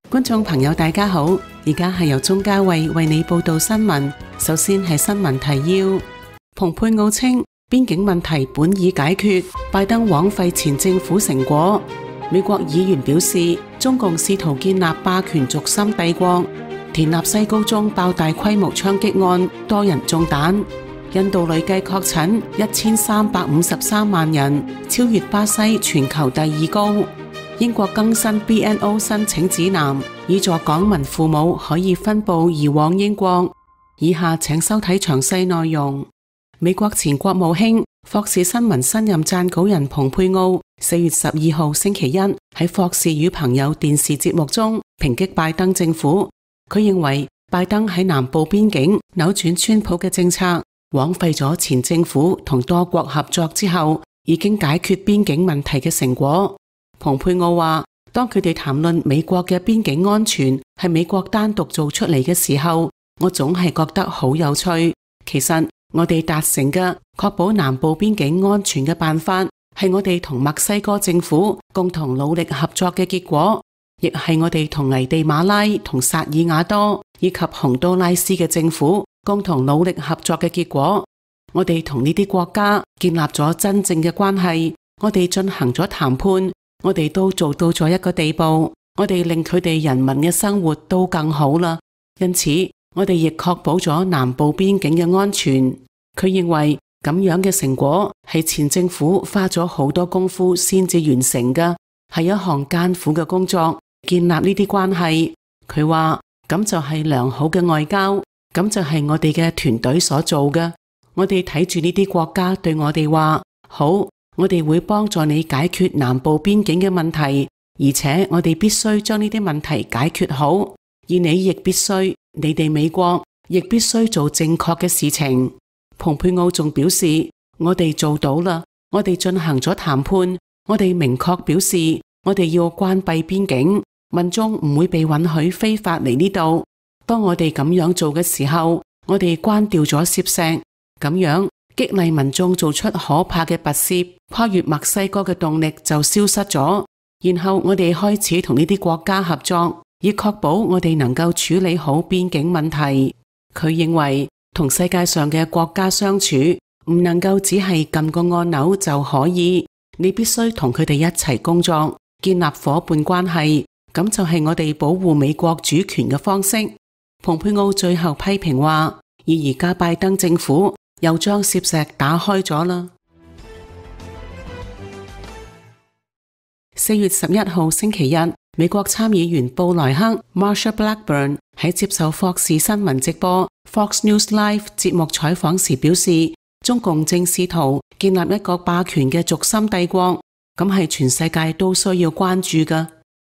觀眾朋友大家好，而家係由鍾嘉慧為你報道新聞。首先係新聞提要。蓬佩奧稱邊境問題本已解決，拜登枉費前政府成果。美國議員表示，中共試圖建立霸權軸心帝國。田納西高中爆大規模槍擊案，多人中彈。印度累計確診1353萬人，超越巴西全球第2高。英國更新 BNO 申請指南，以助港民父母可以分步移往英國。以下請收睇詳細內容。美國前國務卿、霍士新聞新任撰稿人蓬佩奧4月12號星期一喺霍士與朋友電視節目中抨擊拜登政府。佢認為拜登喺南部邊境扭轉川普嘅政策，枉費咗前政府同多國合作之後已經解決邊境問題嘅成果。蓬佩奧話，當佢哋談論美國嘅邊境安全係美國單獨做出嚟嘅時候，我總係覺得好有趣。其實我哋達成嘅確保南部邊境安全嘅辦法，係我哋同墨西哥政府共同努力合作嘅結果，亦係我哋同危地馬拉同薩爾瓦多以及洪都拉斯嘅政府共同努力合作嘅結果。我哋同呢啲國家建立咗真正嘅關係，我哋進行咗談判。我哋都做到咗一個地步，我哋令佢哋人民嘅生活都更好啦。因此，我哋亦確保咗南部邊境嘅安全。佢認為咁樣嘅成果係前政府花咗好多功夫先至完成嘅，係一項艱苦嘅工作，建立呢啲關係。佢話咁就係良好嘅外交，咁就係我哋嘅團隊所做嘅。我哋睇住呢啲國家對我哋話，好，我哋會幫助你解決南部邊境嘅問題，而且我哋必須將呢啲問題解決好，而你亦必須，你哋美國亦必須做正確嘅事情。蓬佩奧仲表示，我哋做到啦，我哋進行咗談判，我哋明確表示，我哋要關閉邊境，民眾唔會被允許非法嚟呢度。當我哋咁樣做嘅時候，我哋關掉咗攝石，咁樣激勵民眾做出可怕嘅跋涉，跨越墨西哥嘅動力就消失咗。然後我哋開始同呢啲國家合作，以確保我哋能夠處理好邊境問題。佢認為同世界上嘅國家相處，唔能夠只係撳個按鈕就可以，你必須同佢哋一齊工作，建立夥伴關係，咁就係我哋保護美國主權嘅方式。蓬佩奧最後批評話，而家拜登政府又將攝石打開咗啦。4月11號星期日，美國參議員布萊克 Marsha Blackburn 喺接受霍士新聞直播 Fox News Live 節目採訪時表示，中共正試圖建立一個霸權嘅軸心帝國，咁係全世界都需要關注㗎。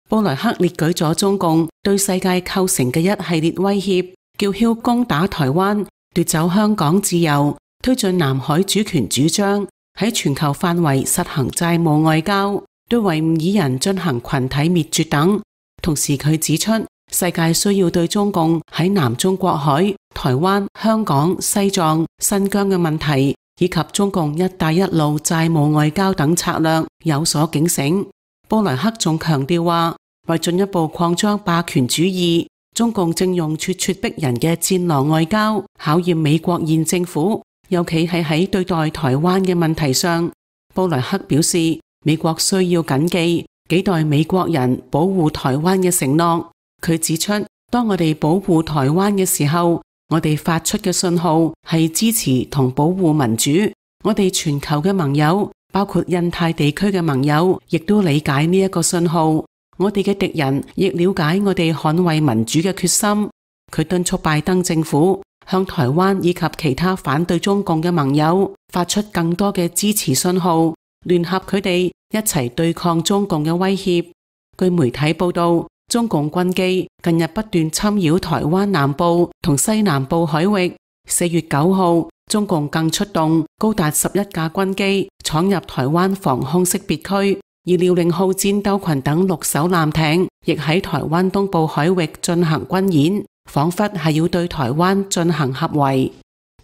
布萊克列舉咗中共對世界構成嘅一系列威脅，叫囂攻打台灣，奪走香港自由，推進南海主權主張，喺全球範圍實行債務外交，對維吾爾人進行群體滅絕等。同時佢指出，世界需要對中共喺南中國海、台灣、香港、西藏、新疆嘅問題，以及中共一帶一路債務外交等策略有所警醒。布萊克仲強調話，為進一步擴張霸權主義，中共正用咄咄逼人嘅戰狼外交考驗美國現政府，尤其係喺對待台灣嘅問題上。布萊克表示，美國需要謹記幾代美國人保護台灣嘅承諾。佢指出，當我哋保護台灣嘅時候，我哋發出嘅信號係支持同保護民主。我哋全球嘅盟友，包括印太地區嘅盟友，亦都理解呢一個信號。我哋嘅敵人亦了解我哋捍衛民主嘅決心。佢敦促拜登政府向台灣以及其他反對中共嘅盟友發出更多嘅支持信號，聯合佢哋一齊對抗中共嘅威脅。據媒體報道，中共軍機近日不斷侵擾台灣南部同西南部海域。4月9號，中共更出動高達11架軍機闖入台灣防空識別區，而遼寧號戰鬥群等6艘艦艇亦喺台灣東部海域進行軍演，仿佛係要對台灣進行合圍。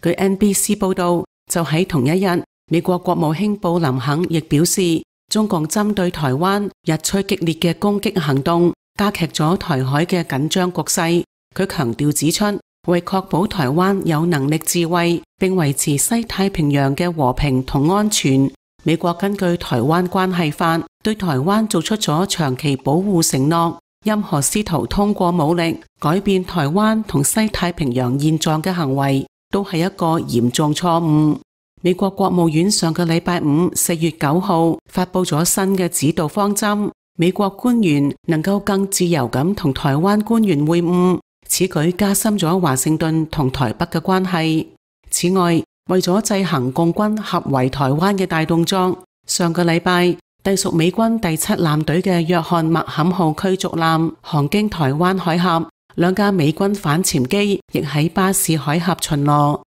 據 NBC 報道，就喺同一日，美國國務卿布林肯亦表示，中共針對台灣日趨激烈嘅攻擊行動加劇咗台海嘅緊張局勢。佢強調指出，為確保台灣有能力自衛並維持西太平洋嘅和平同安全，美國根據《台灣關係法》對台灣做出咗長期保護承諾。任何試圖通過武力改變台灣同西太平洋現狀嘅行為，都係一個嚴重錯誤。美國國務院上個禮拜五4月9號發佈咗新嘅指導方針，美國官員能夠更自由咁同台灣官員會晤，此舉加深咗華盛頓同台北嘅關係。此外，為咗制衡共軍合圍台灣嘅大動作，上個禮拜隸屬美軍第7艦隊嘅約翰麥坎號驅逐艦航經台灣海峽，2架美軍反潛機亦喺巴士海峽巡邏。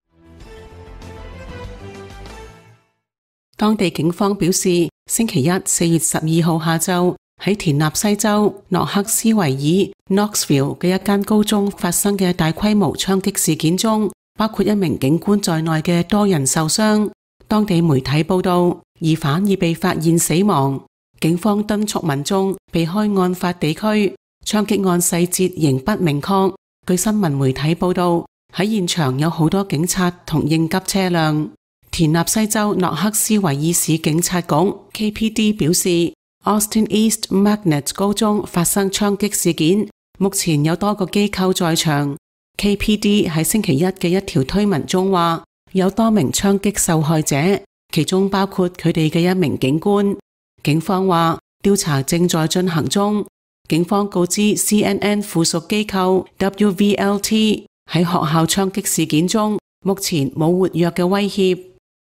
當地警方表示，星期一4月12號下晝喺田納西州諾克斯維爾 Knoxville 嘅一間高中發生嘅大規模槍擊事件中，包括1名警官在內嘅多人受傷。當地媒體報道，疑犯已被發現死亡。警方敦促民眾避開案發地區，槍擊案細節仍不明確。據新聞媒體報道，喺現場有好多警察同應急車輛。田納西州諾克斯維爾市警察局 KPD 表示，Austin East Magnet 高中發生槍擊事件，目前有多個機構在場。KPD 喺星期一嘅一條推文中話，有多名槍擊受害者，其中包括佢哋嘅1名警官。警方話調查正在進行中。警方告知 CNN 附屬機構 WVLT 喺學校槍擊事件中，目前冇活躍嘅威脅。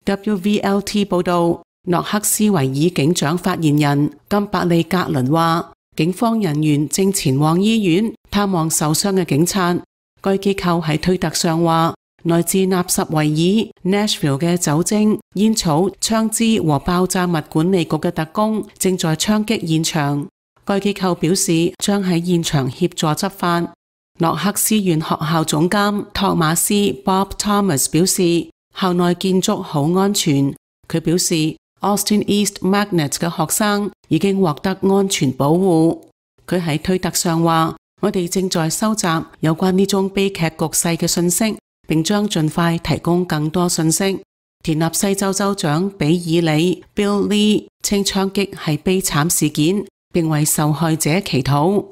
WVLT 報道，諾克斯維爾警長發言人金伯利格倫話，警方人員正前往醫院探望受傷嘅警察。該機構喺推特上話，來自納什維爾 Nashville 嘅酒精、煙草、槍支和爆炸物管理局嘅特工正在槍擊現場。該機構表示將喺現場協助執法。諾克斯縣學校總監托馬斯 Bob Thomas 表示，校內建築好安全。佢表示 Austin East Magnet 嘅學生已經獲得安全保護。佢喺推特上話，我哋正在收集有關呢種悲劇局勢嘅信息，並將盡快提供更多信息。田納西州州長比爾里 Bill Lee 稱槍擊係悲慘事件，並為受害者祈禱。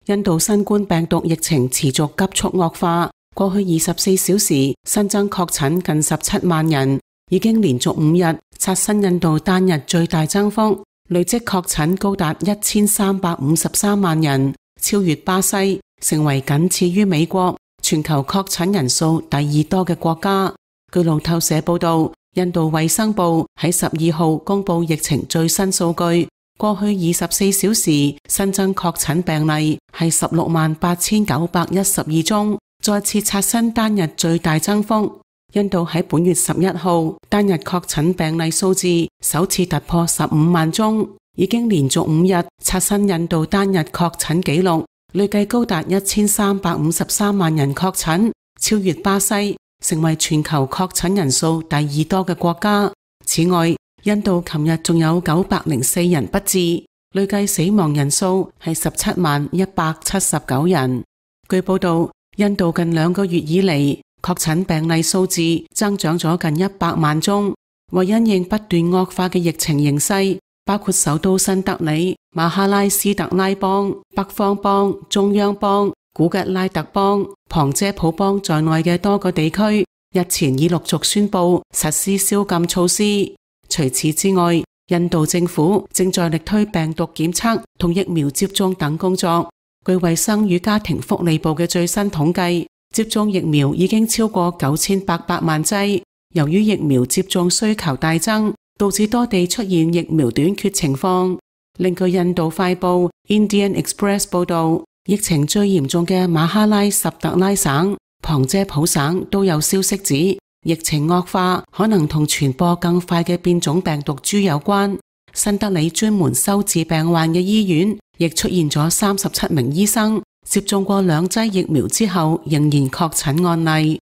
印度新冠病毒疫情持續急速惡化，過去24小時新增確診近17萬人，已經連續5日刷新印度單日最大增幅，累積確診高達1353萬人，超越巴西，成為僅次於美國全球確診人數第2多嘅國家。據路透社報道，印度衛生部喺12號公布疫情最新數據，過去24小時新增確診病例係168,912宗，再次刷新單日最大增幅。印度喺本月11號單日確診病例數字首次突破15萬宗，已經連續5日刷新印度單日確診紀錄，累計高達1353萬人確診，超越巴西，成為全球確診人數第2多嘅國家。此外，印度琴日仲有904人不治，累計死亡人數係17,179人。據報道，印度近2個月以嚟確診病例數字增長咗近100萬宗。為因應不斷惡化嘅疫情形勢，包括首都新德里、馬哈拉斯特拉邦、北方邦、中央邦、古吉拉特邦、旁遮普邦在內嘅多個地區，日前已陸續宣布實施宵禁措施。除此之外，印度政府正在力推病毒檢測同疫苗接種等工作。據衛生與家庭福利部嘅最新統計，接種疫苗已經超過9800萬劑。由於疫苗接種需求大增，導致多地出現疫苗短缺情況。另據印度快報 Indian Express 報道，疫情最嚴重嘅馬哈拉什特拉省、旁遮普省都有消息指，疫情惡化可能同傳播更快嘅變種病毒株有關。新德里專門收治病患嘅醫院亦出現咗37名醫生接種過2劑疫苗之後仍然確診案例。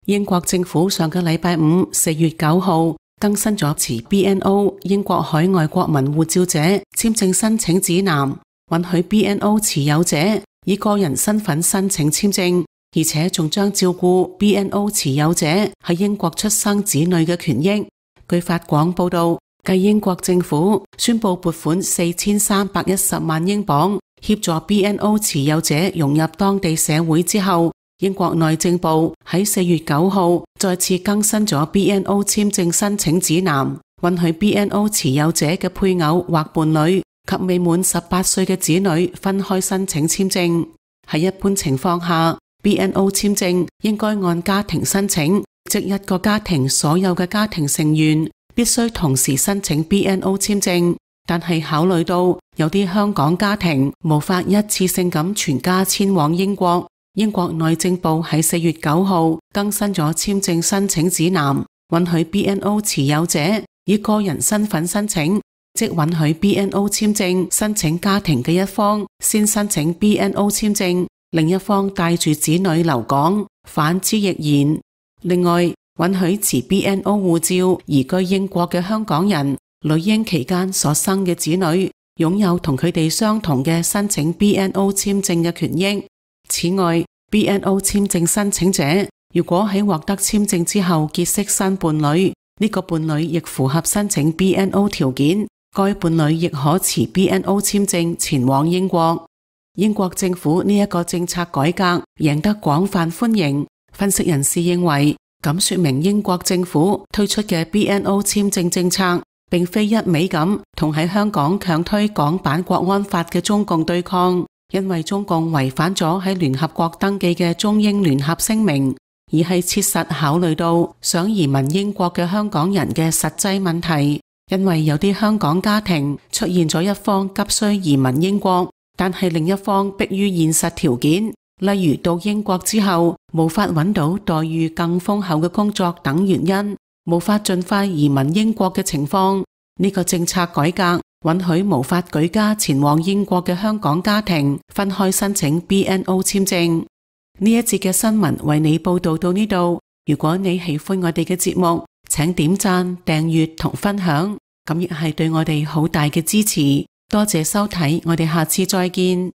英國政府上個禮拜五4月9號更新咗持 BNO 英國海外國民護照者簽證申請指南，允許 BNO 持有者以個人身份申請簽證，而且仲將照顧 BNO 持有者喺英國出生子女嘅權益。據法廣報道，繼英國政府宣布撥款4310萬英鎊協助 BNO 持有者融入當地社會之後，英國內政部喺4月9號再次更新咗 BNO 簽證申請指南，允許 BNO 持有者嘅配偶或伴侶及未滿18歲嘅子女分開申請簽證。喺一般情況下， BNO 簽證應該按家庭申請，即一個家庭所有嘅家庭成員必須同時申請 BNO 簽證。但係考慮到有啲香港家庭無法一次性咁全家遷往英國，英國內政部喺4月9號更新咗簽證申請指南，允許 BNO 持有者以個人身份申請，即允許 BNO 簽證申請家庭嘅一方先申請 BNO 簽證，另一方帶住子女留港，反之亦然。另外，允許持 BNO 護照移居英國嘅香港人，女嬰期間所生嘅子女擁有同佢哋相同嘅申請 BNO 簽證嘅權益。此外， BNO 簽證申請者如果喺獲得簽證之後結識新伴侶，呢個伴侶亦符合申請 BNO 條件，該伴侶亦可持 BNO 簽證前往英國。英國政府呢一個政策改革贏得廣泛歡迎，分析人士認為，咁說明英國政府推出嘅 BNO 簽證政策並非一味咁同喺香港強推港版國安法嘅中共對抗，因為中共違反咗喺聯合國登記嘅中英聯合聲明，而係切實考慮到想移民英國嘅香港人嘅實際問題。因為有啲香港家庭出現咗一方急需移民英國，但係另一方迫於現實條件，例如到英國之後無法揾到待遇更豐厚嘅工作等原因，無法盡快移民英國嘅情況。呢個政策改革允許無法舉家前往英國嘅香港家庭分開申請 BNO 簽證。呢一節嘅新聞為你報道到呢度。如果你喜歡我哋嘅節目，請點讚、訂閱同分享，咁亦係對我哋好大嘅支持。多謝收睇，我哋下次再見。